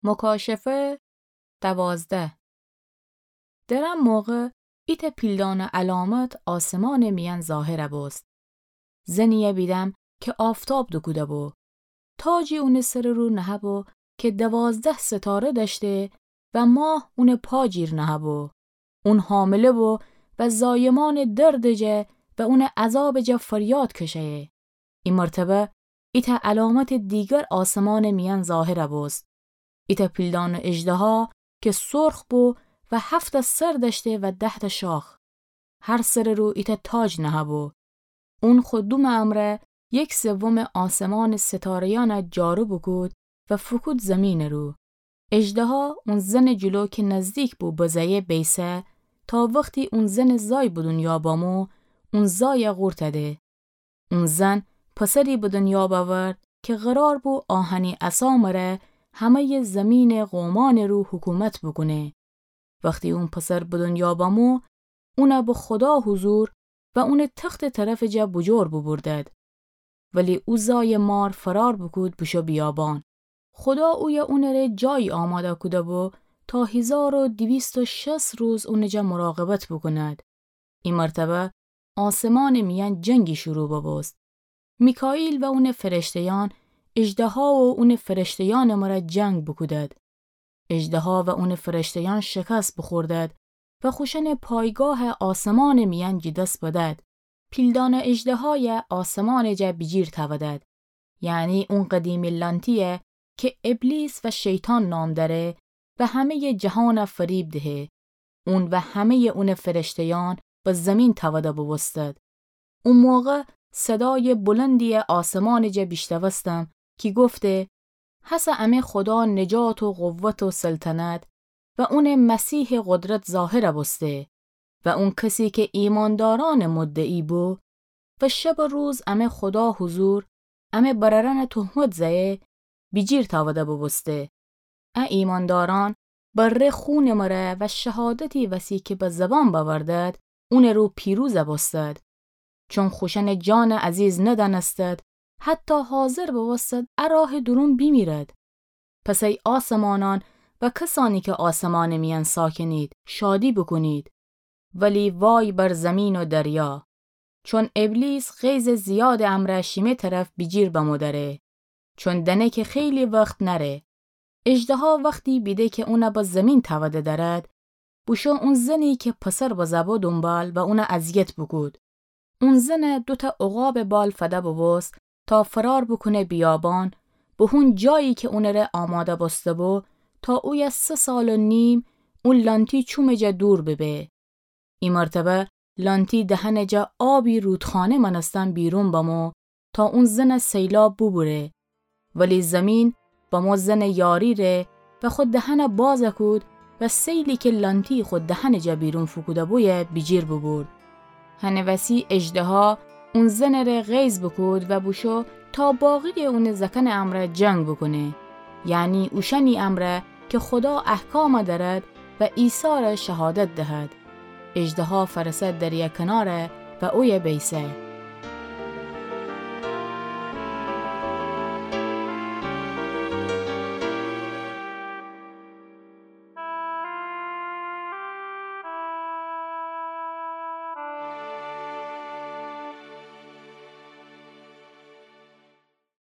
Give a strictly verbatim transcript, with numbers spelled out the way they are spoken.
مکاشفه دوازده. در ا موقع ایتأ پیلدانه علامت آسمانٚ میأن ظاهر بوست. زنیی بیدم کی آفتاب دوکوده‌بو. تاجی اونٚ سرٚ رو نهه‌بو کی دوازده ستاره دأشته و ماه اونٚ پا جیر نهه‌بو. اون حامله بو و زایمانٚ دردٚ جا و اونٚ عذابٚ جا فریاد کشه‌یه. ای مرتبه ایتأ علامتٚ دیگر آسمانٚ میأن ظاهر بوست. ایتأ پیلدانه اژدها کی سرخ بو و هفت‌تأ سر دأشته و ده‌تأ شاخ. هر سرٚ رو ایتأ تاج نهه‌بو. اون خو دومٚ امرأ یک سومٚ آسمانٚ ستاره‌یأن جارو بوکود و فوکود زیمینٚ رو. اژدها اون زنٚ جلو کی نزدیک بو بزأیه بیسه، تا وختی اون زنٚ زای به دونیا بمو، اون زای قورت ده. اون زن پسری به دونیا بأورد کی قرار بو آهنی عصا مره همه‌یٚ زیمینٚ قومأنٚ رو حکومت بوکونه. وختی اون پسر به دونیا بمو، اون به خودا حضور و اونٚ تختٚ طرفٚ جا بوجور بوبوردد. ولی او زایٚ مار فرار بوکود بوشو بیابان. خودا اویه اونٚ ره جایی آماده کوده‌بو تا هیزار و دویست و شصت روز اونٚ جا مراقبت بوکوند. ای مرتبه آسمانٚ میأن جنگی شروع ببوست. میکائیل و اونٚ فرشته‌یأن اژدها و اونٚ فرشته‌یأنٚ مره جنگ بوکودد. اژدها و اونٚ فرشته‌یأن شکست بوخوردد و خوشأنٚ پایگاه آسمانٚ میأن جٚه دس بدد. پیلدانه اژدهایه آسمانٚ جا بیجیر تأودد. یعنی اون قدیمی لأنتی‌یه کی ابلیس و شیطان نام دأره و همه‌یٚ جهان فریب دهه. اون و همه‌یٚ اونٚ فرشته‌یأن به زیمین تأوده بوبوستد. او موقع صدایٚ بلندی آسمانٚ جا بیشنوستم کی گفته: هسه امه خودا نجات و قوت و سلطنت و اونٚ مسیحٚ قدرت ظاهر بوسته و اون کسی کی ایماندارأنٚ مدعی بو و شب و روز امه خودا حضور امه برأرأن تهمت زأیه، بیجیر تأوده بوبوسته. ا ایماندارأن بره خونٚ مره و شهادتی وسی کی به زبان بأوردد، اونٚ رو پیروز بوستد. چون خوشأنٚ جان عزیز ندأنستد، حتی حاضر بوستد ا راه دورون بیمیرد. پس ای آسمانأن و کسأنی کی آسمانٚ میأن ساکنید، شادی بوکونید. ولی وای بر زیمین و دریا، چون ابلیس غیظٚ زیادٚ امرأ شیمه طرف بیجیر بمو دأره، چون دأنه کی خیلی وخت نأره. اژدها وختی بیده کی اون به زیمین تأوده دأرد، بوشو اون زنی کی پسر بزه‌بو دونبال و اون اذیت بوکود. اون زن دوتأ عقابٚ بال فده بوبوست تا فرار بوکونه بیابان، به هون جایی کی اونٚ ره آماده بوسته‌بو، تا اویه سه سال و نیم او لأنتی چومٚ جا دور ببه. ای مرتبه لأنتی دهنٚ جا آبی رودخانه مأنستن بیرون بمو تا اون زن سیلاب بوبوره. ولی زیمین بمو زن یاری ره و خو دهن بازه کود و سیلی کی لأنتی خو دهنٚ جا بیرون فوکوده‌بویه بیجیر بوبورد. هنٚ وسی اژدها اون زنٚ ره غیظ بوکود و بوشو تا باقی‌یٚ اونٚ زأکنٚ امرأ جنگ بوکونه، یعنی اوشأنی امرأ کی خودا احکام دأرد و عیسی ره شهادت دهد. اژدها فأرسه دریا کنار و اویه بیسه.